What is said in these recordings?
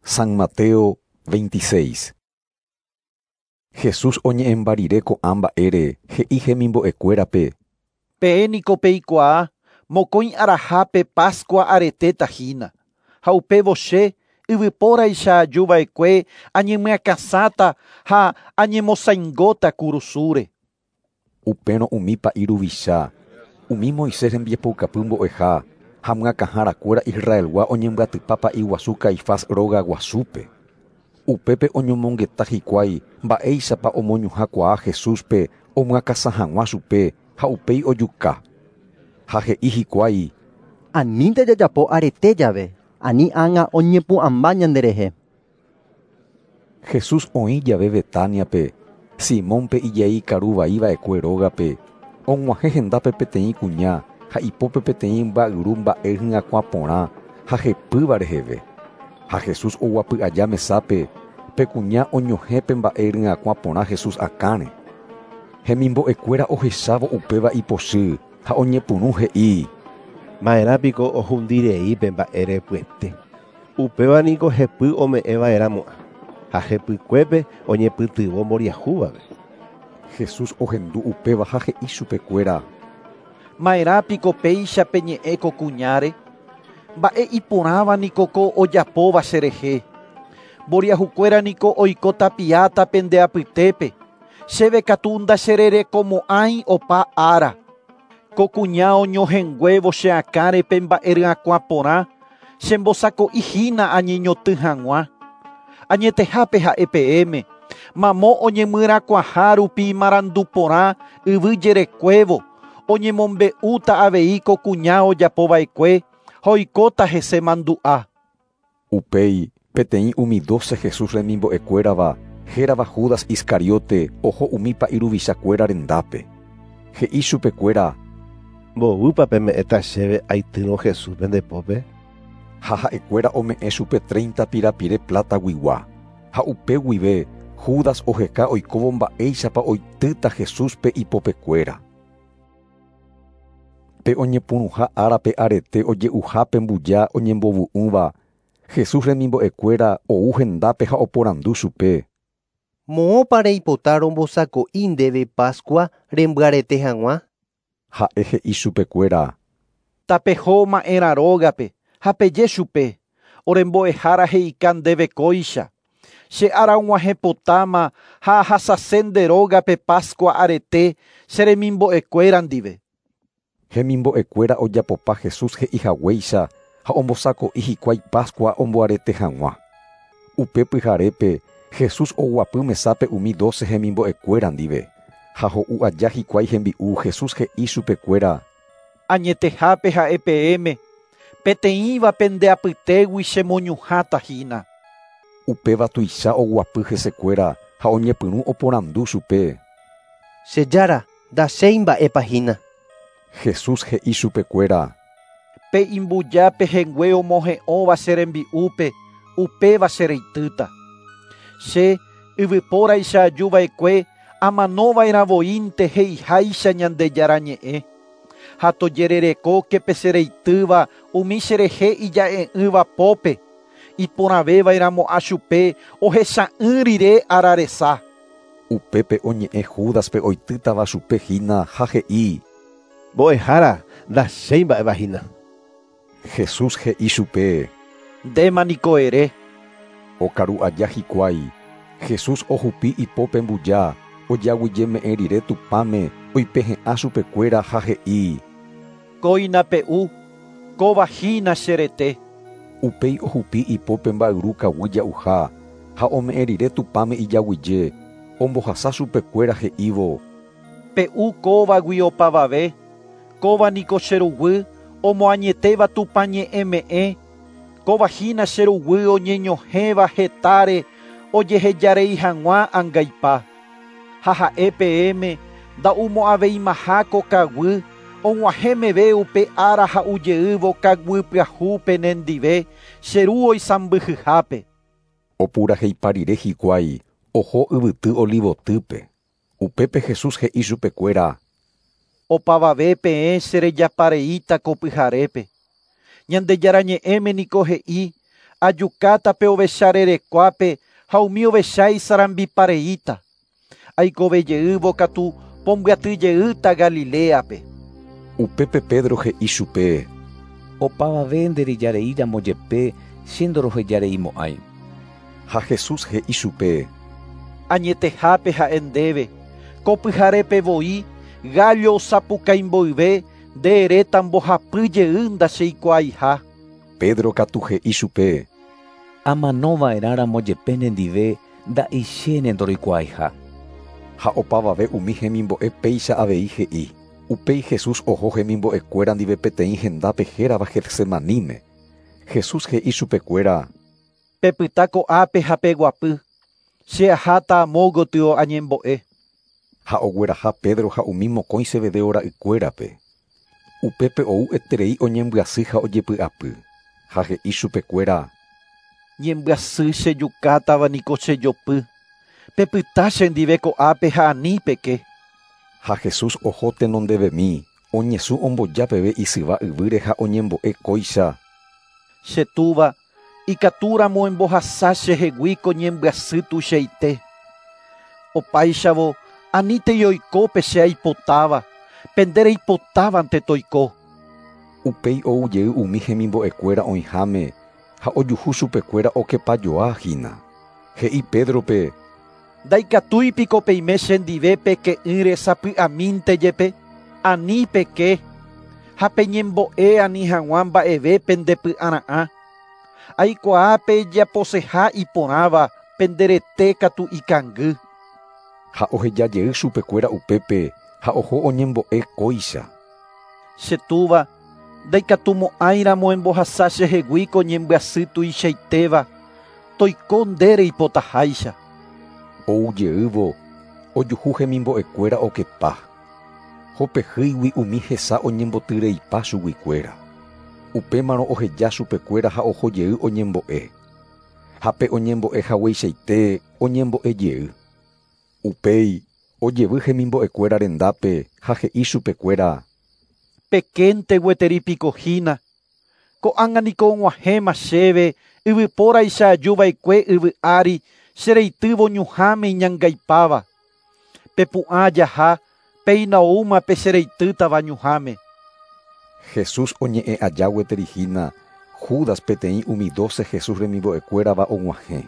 San Mateo 26. Jesús oñe'ẽmba rire ko'ã mba'ére he'i hemimbo'ekuérape. Peẽ niko peikuaa mokõi arahápe Pascua aretéta hína, ha upévo che yvypóraicha ajuva'ekue añemyakãsãta ha añemosãingóta kurusúre. Upérõ umi pa'i ruvicha, umi Moisés rembiapoukapy mbo'eha ha myakãharakuéra Israelgua oñembyatypa pa'i guasu Caifás róga guasúpe. Upépe oñomongeta hikuái mba'éichapa omoñuhãkuaa Jesúspe omyakãsã hag̃ua chupe ha upéi ojuka. Ha he'i hikuái: Anínte jajapo arete jave, ani ág̃a oñepu'ãmba ñanderehe. Jesús oĩ jave Betaniape, Simónpe ijai karuvaiva'ekue rógape, og̃uahẽ hendápe peteĩ kuña ha ipópe peteĩ mba'yru mba'e hyakuã porã ha hepýva reheve. Ha Jesús oguapy aja mesápe, pe kuña oñohẽ pe mba'e ryakuã porã Jesús akãre. Hemimbo'ekuéra ohechávo upéva ipochy ha oñepyrũ he'i: Ma'erãpiko ohundirei pe mba'e repyete. Upéva niko hepy ome'ẽva'erãmo'ã ha hepykuépe oñepytyvõ mboriahúvape. Jesús ohendu upéva ha he'i chupekuéra: Ma'erãpiko péicha peñe'ẽ ko kuñáre? Mba'e iporãva niko ko ojapóva cherehe. Mboriahukuéra niko oiko tapiáta pende apytépe. Chéve katu ndachererekomo'ãi opa ára. Ko kuña oñohẽnguévo che akãre pe mba'e ryakuã porã chembosako'ihína añeñotỹ hag̃ua. Añetehápe ha'e peẽme, mamo oñemyrakuãha rupi marandu porã yvy jerekuévo, oñemombe'úta avei ko kuña ojapova'ekue ha oikóta hese mandu'a. Upéi peteĩ umi 12 Jesús remimbo'ekuérava hérava Judas Iscariote oho umi pa'i ruvichakuéra rendápe. He'i chupekuéra: Mboýpa peme'ẽta chéve aitýrõ Jesús pende pópe? Ha ha'ekuéra ome'ẽ chupe 30 pirapire plataguigua. Ha upe guive Judas oheka oikóvo mba'éichapa oitýta Jesúspe ipopekuéra. Pe oñepyrũha árape arete oje'uhápe mbuja oñembovu'ỹva, Jesús remimbo'ekuéra ou hendápe ha oporandu chupe. Moõpa reipota rombosako'i ndéve Pascua rembyarete hag̃ua? Ha'e he'i chupekuéra: Tapeho ma'erã rógape ha peje chupe, orembo'ehára he'ika ndéve kóicha. Che ára og̃uahẽpotáma ha ahasase nde rógape Pascua arete che remimbo'ekuéra ndive. Hemimbo'ekuéra ojapopa Jesús he'ihaguéicha ha ombosako'i hikuái Pascua omboarete hag̃ua. Upe pyharépe Jesús oguapy mesápe umi 12 hemimbo'ekuéra ndive. Ha ho'u aja hikuái hembi'u Jesús he'i chupekuéra: Añetehápe ha'e peẽme, peteĩva pende apytégui chemoñuhãta hína. Upéva tuicha oguapy hesekuéra ha oñepyrũ oporandu chupe. Che jára, ndachéi mba'épa hína. Jesús he'i chupekuéra: Pe imbuja pehẽngue omohe'õva che rembi'úpe, upéva chereitýta. Che yvypóraicha ajuva'ekue amanova'erãvoínte he'iháicha Ñandejára ñe'ẽ. Ha tojererekóke pe chereitýva umi cherehe ija'e'ỹva pópe, iporãvéva'erãmo'ã chupe ohecha'ỹ rire araresa. Upépe oñe'ẽ Júdaspe oitýtava chupe hína ha he'i: Mbo'ehára, ndachéi mba'éva hína. Jesús he'i chupe: Ndéma niko ere. Okaru aja hikuái, Jesús ohupi ipópe mbuja, ojaguyjeme'ẽ rire Tupãme oipehe'ã chupekuéra ha he'i: Kóina pe'u, kóva hína che rete. Upéi ohupi ipópe mba'yru kaguy ja'uha ha ome'ẽ rire Tupãme ijaguyje, ombohasa chupekuéra he'ívo: Pe'u kóvagui opavave, kóva niko che ruguy omoañetéva Tupã ñe'ẽme'ẽ, kóva hína che ruguy oñeñohẽva hetáre ojehejarei hag̃ua angaipa. Ha ha'e peẽme nda'umo'ãveimaha ko kaguy og̃uahẽ meve upe ára ha'ujeývo kaguy pyahu penendive che ru oisãmbyhyhápe. Opuraheipa rire hikuái oho yvyty Olivotýpe. Upépe Jesús he'i chupekuéra: Opavave peẽ cherejapareíta ko pyharépe. Ñandejára ñe'ẽme niko he'i Ajukáta pe ovecha rerekuápe ha umi ovecha isarambipareíta. Aikovejeývo katu pombyatyjeýta Galiléape. Upépe Pedro he'i chupe: Opavave nderejareíramo jepe che ndorohejareimo'ãi. Ha Jesús he'i chupe: Añetehápe ha'e ndéve, ko pyharépe voi gallo osapukái mboyve nde eréta mbohapy jey ndacheikuaaiha. Pedro katu he'i chupe: Amanova'erãramo jepe nendive nda'ichéne ndoroikuaaiha. Ha opavave umi hemimbo'e péicha avei he'i. Upéi Jesús oho hemimbo'ekuéra ndive peteĩ hendápe hérava Getsemaníme. Jesús he'i chupekuéra: Pepyta ko'ápe ha peguapy. Che aháta amo gotyo añembo'e. Ha ogueraha Pedro ha umi mokõi Zebedeo ra'ykuérape. Upépe ou eterei oñembyasy ha ojepy'apy. Ha he'i chupekuéra: Ñembyasy chejukátava niko chejopy. Pepyta chendive ko'ápe ha ani peke. Ha Jesús oho tenondevemi, oñesũ omboja peve isyva yvýre ha oñembo'e kóicha: Che túva, ikatúramo embohasa chehegui ko ñembyasy tuichaite. Opáichavo anítei oiko pe che aipotáva, pe nde reipotávante toiko. Upéi ou jey umi hemimbo'ekuéra oĩháme ha ojuhu chupekuéra okepajoahína. He'i Pédrope: Ndaikatúi piko peime chendive peke'ỹre sapy'amínte jepe, ani peke, ha peñembo'e ani hag̃ua mba'eve pendepy'ara'ã. Aikuaa pejaposeha iporãva penderete katu ikangy. Ha ohejajey chupekuéra upépe ha oho oñembo'e kóicha: Che túva, ndaikatumo'ãiramo embohasa chehegui ko ñembyasy tuichaitéva, toiko nde reipotaháicha. Ou jeývo ojuhu hemimbo'ekuéra okepa. Hopehýigui umi hesa oñembotyreipa chuguikuéra. Upémarõ oheja chupekuéra ha oho jey oñembo'e. Ha pe oñembo'e hagueichaite oñembo'e jey. Upéi ojevy hemimbo'ekuéra rendápe ha he'i chupekuéra: Pekénte gueteri piko hína. Ko'ág̃a niko og̃uahẽma chéve yvypóraicha ajuva'ekue yvy ári chereitývo ñuhãme iñangaipáva. Pepu'ã jaha, péina oúma pe chereitýtava ñuhãme. Jesús oñe'ẽ aja gueteri hína, Judas peteĩ umi 12 Jesús remimbo'ekuérava og̃uahẽ.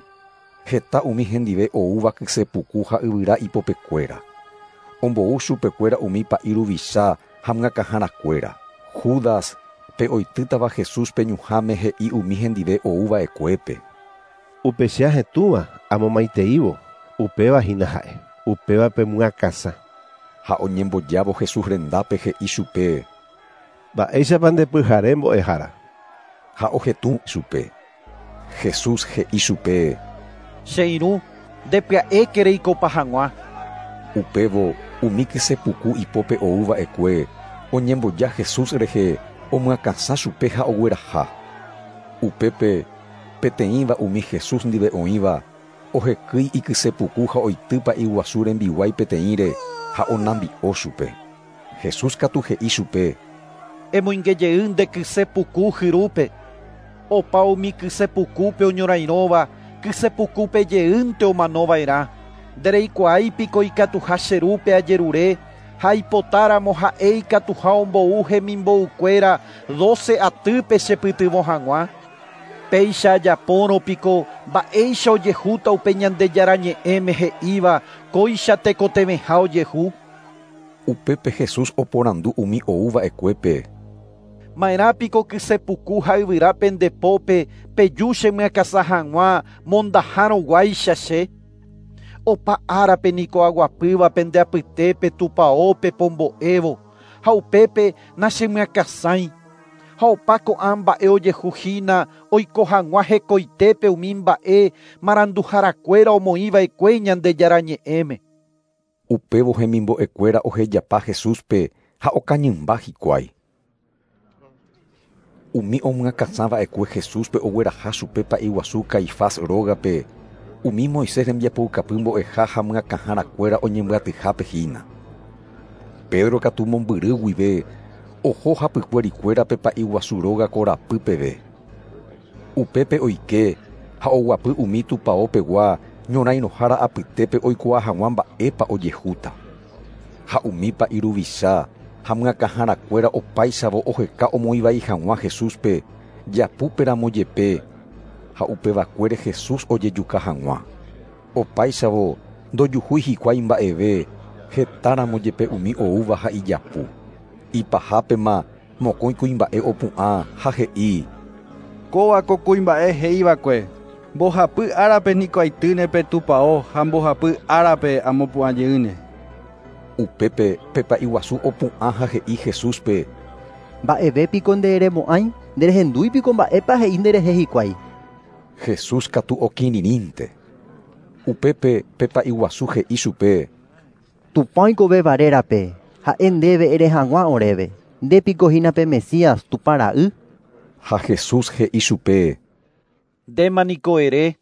Heta umi hendive oúva kysepuku ha yvyra ipopekuéra. Ombou chupekuéra umi pa'i ruvicha ha myakãharakuéra. Judas pe oitýtava Jesúspe ñuhãme he'i umi hendive ouva'ekuépe: Upe che ahetũva amomaiteívo, upéva hína ha'e, upéva pemyakãsã. Ha oñembojávo Jesús rendápe he'i chupe: Mba'éichapa ndepyhare mbo'ehára. Ha ohetũ chupe. Jesús he'i chupe: Che irũ, ndepya'éke reikopa hag̃ua. Upévo umi kysepuku ipópe ouva'ekue oñemboja Jesús rehe omyakãsã chupe ha ogueraha. Upépe peteĩva umi Jesús ndive oĩva ohekýi ikysepuku ha oitýpa iguasu rembiguái peteĩre ha onambi'o chupe. Jesús katu he'i chupe: Emoingejey nde kysepuku hyrúpe. Opa umi kysepukúpe oñorairõva, kysepukúpe jeýnte omanova'erã. Ndereikuaái piko ikatuha che rúpe ajerure ha aipotáramo ha'e ikatuha ombou hemimboukuéra 12 atýpe chepytyvõ hag̃ua. Péicha ajapórõ piko mba'éicha ojehúta upe Ñandejára ñe'ẽme he'íva kóicha tekotevẽha ojehu. Upépe Jesús oporandu umi ouva'ekuépe: Ma'erã piko kysepuku ha yvyra pendepópe peju chemyakãsã hag̃ua mondahárõguáicha che. Opa árape niko aguapýva pende apytépe tupãópe pombo'évo ha upépe nachemyakãsãi. Ha opa ko'ã mba'e ojehu hína oiko hag̃ua hekoitépe umi mba'e maranduharakuéra omoĩva'ekue Ñandejára ñe'ẽme. Upévo hemimbo'ekuéra ohejapa Jesúspe ha okañymba hikuái. Umi omyakãsãva'ekue Jesúspe ogueraha chupe pa'i guasu Caifás rógape, umi Moisés rembiapoukapy mbo'eha ha myakãharakuéra oñembyatyhápe hína. Pedro katu mombyry guive oho hapykuerikuérape pa'i guasu róga korapy peve. Upépe oike ha oguapy umi tupaopegua ñorairõhára apytépe oikuaa hag̃ua mba'épa ojehúta. Ha umi pa'i ruvicha ha myakãharakuéra opáichavo oheka omoĩvai hag̃ua Jesúspe japúperamo jepe ha upevakuére Jesús ojejuka hag̃ua. Opáichavo ndojuhúi hikuái mba'eve hetáramo jepe umi oúva ha ijapu. Ipahápema mokõi kuimba'e opu'ã ha he'i: Kóva ko kuimba'e he'iva'ekue: Mbohapy árape niko aitýne pe tupão ha mbohapy árape amopu'ãjeýne. Upépe pe pa'i guasu opu'ã ha he'i Jesúspe: Mba'evépiko nderemo'ãi, nderehendúipiko mba'épa he'i nderehe hikuái. Jesús katu okirirĩnte. Upépe pe pa'i guasu he'i chupe: Tupã oikovéva rérape, ha'e ndéve ere hag̃ua oréve. Ndépiko hína pe Mesías Tupã ra'y. Ha Jesús he'i chupe: Ndéma niko ere,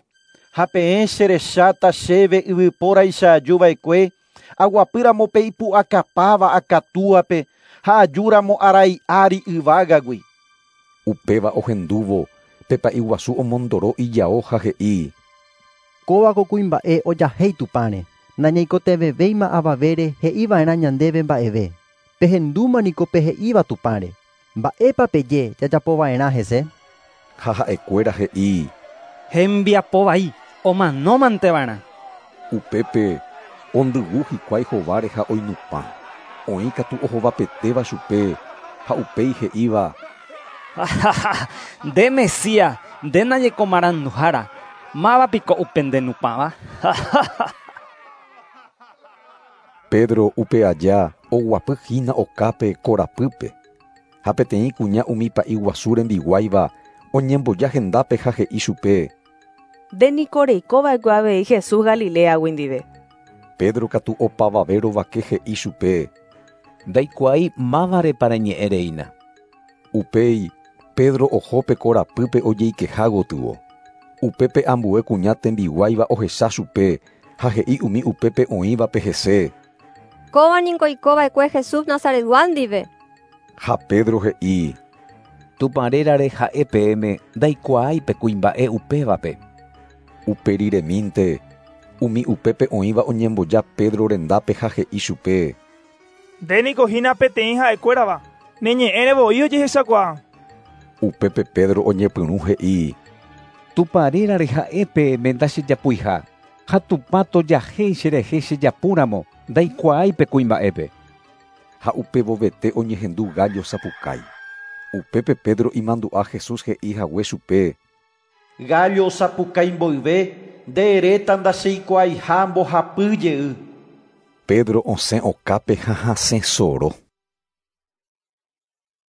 ha peẽ cherecháta chéve yvypóraicha ajuva'ekue, aguapýramo pe ipu'akapáva akatúape ha ajúramo arai ári yvágagui. Upéva ohendúvo pe pa'i guasu omondoro ijao ha he'i: Kóva ko kuimba'e ojahéi Tupãre. Nañaikotevẽvéima avavére he'iva'erã ñandéve mba'eve. Pehendúma niko pe he'íva Tupãre. Mba'épa peje jajapova'erã hese. Ha ha'ekuéra he'i: Hembiapovai omanómanteva'erã. Upépe ondyvu hikuái hováre ha oinupã. Oĩ katu ohovapetéva chupe ha upéi he'íva: Nde Mesías, nde najeko maranduhára, mávapiko upe ndenupãva. Pedro upe aja oguapy hína okápe korapýpe. Ha peteĩ kuña umi pa'i guasu rembiguáiva oñemboja hendápe ha he'i chupe: Nde niko reikova'ekue avei Jesús Galileagui ndive. Pedro katu opavave rovake he'i chupe: Ndaikuaái mávarepa reñe'ẽreína. Upéi Pedro oho pe korapýpe ojeikeha gotyo. Upépe ambue kuña tembiguáiva ohecha chupe ha he'i umi upépe oĩvape hese: Kóva niko oikova'ekue Jesús Nazaretgua ndive. Ha Pedro he'i: Tupã rérare ha'e peẽme ndaikuaái pe kuimba'e upévape. Uperiremínte umi upépe oĩva oñemboja Pedro rendápe ha he'i chupe: Nde niko hína peteĩ ha'ekuérava, ne ñe'ẽre voi ojehechakuaa. Upépe Pedro oñepyrũ he'i: Tupã rérare ha'e peẽme ndachejapuiha. Ha Tupã tojahéi cherehe chejapúramo ndaikuaái pe kuimba'épe. Ha upevovete oñehendu gallo sapukái. Upépe Pedro imandu'a Jesús he'i hague chupe: Gallo sapukái mboyve nde eréta ndacheikuaaiha mbohapy jey. Pedro osẽ okápe ha hasẽ soro.